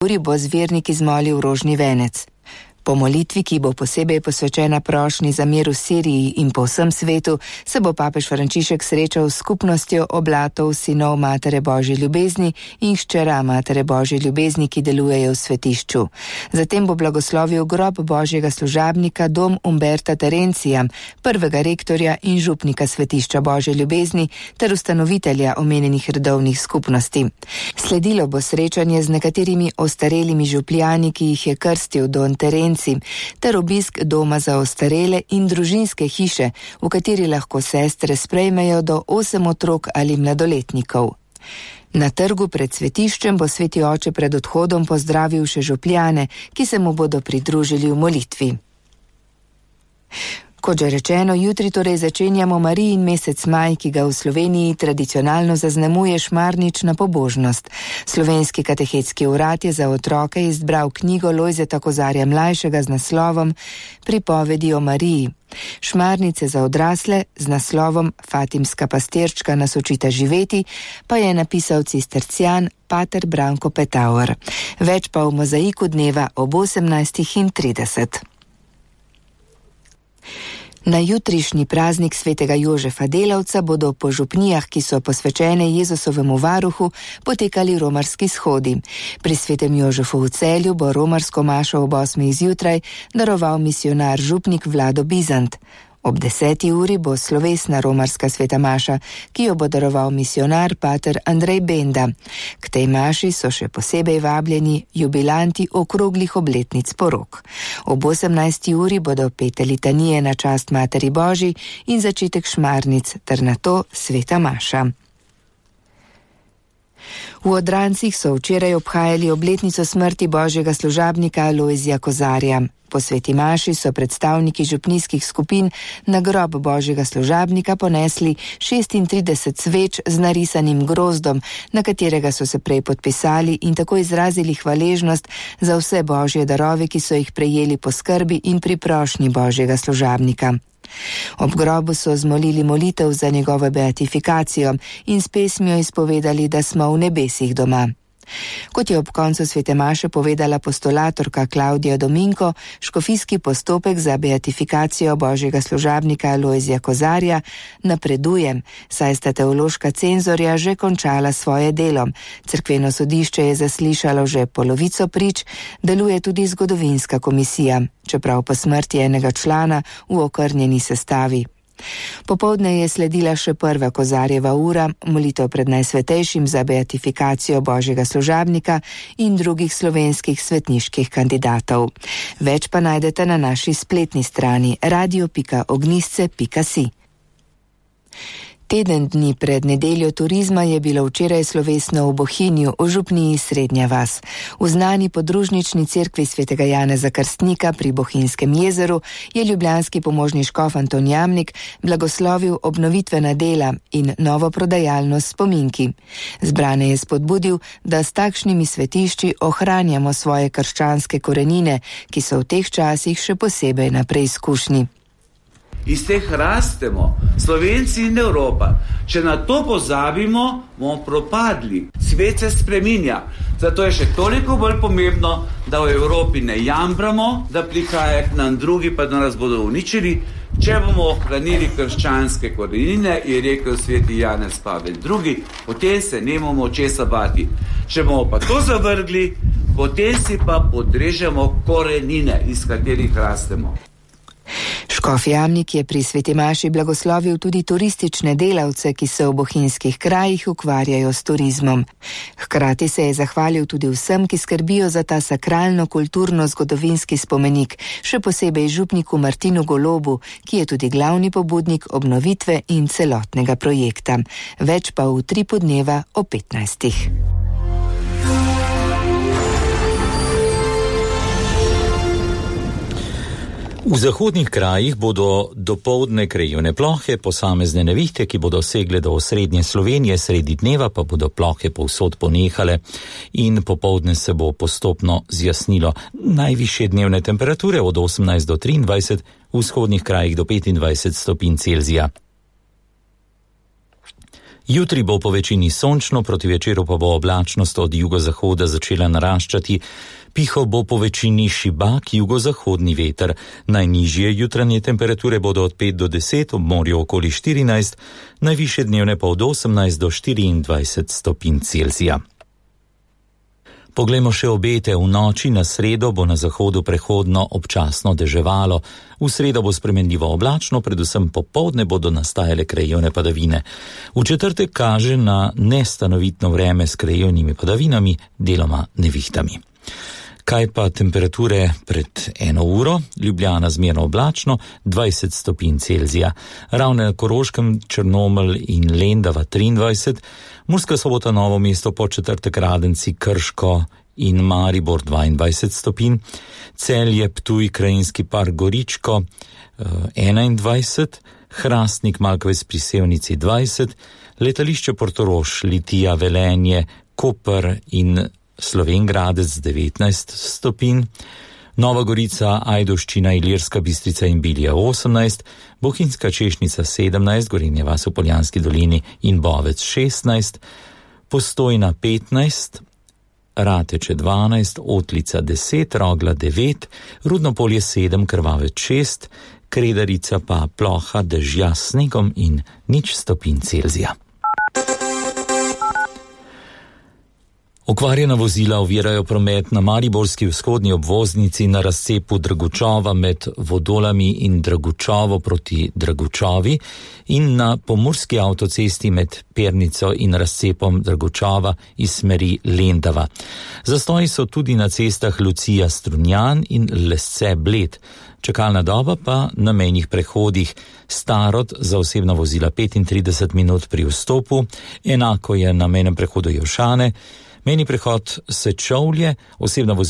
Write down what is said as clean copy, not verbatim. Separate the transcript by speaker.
Speaker 1: uri bo zvernik izmolil rožni venec. Po molitvi, ki bo posebej posvečena prošnji za mir v Siriji in po vsem svetu, se bo papež Frančišek srečal s skupnostjo oblatov sinov Matere Božje ljubezni in hčera Matere Božje ljubezni, ki delujejo v svetišču. Zatem bo blagoslovil grob Božjega služabnika dom Umberta Terencija, prvega rektorja in župnika svetišča Božje ljubezni ter ustanovitelja omenjenih redovnih skupnosti. Sledilo bo srečanje z nekaterimi ostarelimi župljani, ki jih je krstil don Terenci, ter obisk doma za ostarele in družinske hiše, v kateri lahko sestre sprejmejo do 8 otrok ali mladoletnikov. Na trgu pred svetiščem bo sveti oče pred odhodom pozdravil še župljane, ki se mu bodo pridružili v molitvi. Kot že rečeno, jutri torej začenjamo Marijin mesec maj, ki ga v Sloveniji tradicionalno zaznamuje šmarnična pobožnost. Slovenski katehetski urad je za otroke izbral knjigo Lojzeta Kozarja mlajšega z naslovom Pripovedi o Mariji. Šmarnice za odrasle z naslovom Fatimska pastirčka nas učita živeti pa je napisal cistercijan pater Branko Petauer. Več pa v mozaiku dneva ob 18:30. Na jutrišnji praznik svetega Jožefa Delavca bodo po župnijah, ki so posvečene Jezusovemu varuhu, potekali romarski shodi. Pri svetem Jožefu v Celju bo romarsko mašo ob 8. zjutraj daroval misionar župnik Vlado Bizant. Ob 10. uri bo slovesna romarska sveta maša, ki jo bo daroval misionar pater Andrej Benda. K tej maši so še posebej vabljeni jubilanti okroglih obletnic porok. Ob 18. uri bodo pete litanije na čast Materi Božji in začetek šmarnic ter nato sveta maša. V Odrancih so včeraj obhajali obletnico smrti Božjega služabnika Lojzija Kozarja. Po sveti maši so predstavniki župnijskih skupin na grob Božjega služabnika ponesli 36 sveč z narisanim grozdom, na katerega so se prej podpisali in tako izrazili hvaležnost za vse Božje darove, ki so jih prejeli po skrbi in pri prošnji Božjega služabnika. Ob grobu so zmolili molitev za njegovo beatifikacijo in s pesmijo izpovedali, da smo v nebesih doma. Kot je ob koncu svete maše povedala postulatorka Klaudija Dominko, škofijski postopek za beatifikacijo Božjega služabnika Lojzija Kozarja napreduje, saj sta teološka cenzorja že končala svoje delo. Cerkveno sodišče je zaslišalo že polovico prič, deluje tudi zgodovinska komisija, čeprav po smrti enega člana v okrnjeni sestavi. Popoldne je sledila še prva Kozarjeva ura, molitev pred Najsvetejšim za beatifikacijo Božjega služabnika in drugih slovenskih svetniških kandidatov. Več pa najdete na naši spletni strani radio.ognisce.si. Teden dni pred nedeljo turizma je bilo včeraj slovesno v Bohinju, v župniji Srednja vas. V znani podružnični cerkvi svetega Janeza Krstnika pri Bohinjskem jezeru je ljubljanski pomožni škof Anton Jamnik blagoslovil obnovitvena dela in novo prodajalno s spominki. Zbrane je spodbudil, da s takšnimi svetišči ohranjamo svoje krščanske korenine, ki so v teh časih še posebej na preizkušnji.
Speaker 2: Iz teh rastemo, Slovenci in Evropa. Če na to pozabimo, bomo propadli. Svet se spreminja. Zato je še toliko bolj pomembno, da v Evropi ne jambramo, da prihaja k nam drugi, pa da nas bodo uničili. Če bomo ohranili krščanske korenine, je rekel sveti Janez Pavel II, potem se nemamo česa bati. Če bomo pa to zavrgli, potem si pa podrežemo korenine, iz katerih rastemo.
Speaker 1: Škof Jamnik je pri sveti maši blagoslovil tudi turistične delavce, ki se v bohinjskih krajih ukvarjajo s turizmom. Hkrati se je zahvalil tudi vsem, ki skrbijo za ta sakralno-kulturno-zgodovinski spomenik, še posebej župniku Martinu Golobu, ki je tudi glavni pobudnik obnovitve in celotnega projekta. Več pa v Utripu dneva o 15.
Speaker 3: V zahodnih krajih bodo dopoldne krajevne plohe, posamezne nevihte, ki bodo segle do osrednje Slovenije, sredi dneva pa bodo plohe povsod ponehale in popoldne se bo postopno zjasnilo. Najvišje dnevne temperature od 18 do 23, v vzhodnih krajih do 25 stopinj Celzija. Jutri bo po večini sončno, proti večeru pa bo oblačnost od jugozahoda začela naraščati. Pihal bo po večini šibak jugozahodni veter. Najnižje jutranje temperature bodo od 5 do 10, ob morju okoli 14, najvišje dnevne pa od 18 do 24 stopinj Celzija. Poglejmo še obete. V noči na sredo bo na zahodu prehodno občasno deževalo. V sredo bo spremenljivo oblačno, predvsem popoldne bodo nastajale krajevne padavine. V četrtek kaže na nestanovitno vreme s krajevnimi padavinami, deloma nevihtami. Kaj pa temperature pred 1 uro? Ljubljana zmerno oblačno, 20 stopinj Celzija. Ravne na Koroškem, Črnomelj in Lendava 23, Murska Sobota, Novo mesto, Podčetrtek, Radenci, Krško in Maribor 22 stopinj, Celje, Ptuj, Krajinski park, Goričko 21, Hrastnik, Malkovec pri Sevnici 20, letališče Portorož, Litija, Velenje, Koper in Slovenj Gradec 19 stopinj, Nova Gorica, Ajdovščina, Ilirska Bistrica in Bilja 18, Bohinjska Češnica 17, Gorenje vas v Poljanski dolini in Bovec 16, Postojna 15, Rateče 12, Otlica 10, Rogla 9, Rudnopolje 7, Krvavec 6, Kredarica pa ploha, dežja s snegom in 0 stopinj Celzija. Okvarjena vozila ovirajo promet na mariborski vzhodni obvoznici na razcepu Dragučova med Vodolami in Dragučovo proti Dragučovi in na pomurski avtocesti med Pernico in razcepom Dragučova iz smeri Lendava. Zastoji so tudi na cestah Lucija Strunjan in Lesce Bled. Čakalna doba pa na mejnih prehodih. Starod za osebna vozila 35 minut pri vstopu, enako je na mejnem prehodu Jelšane, mejni prehod Sečovlje, osebna vozila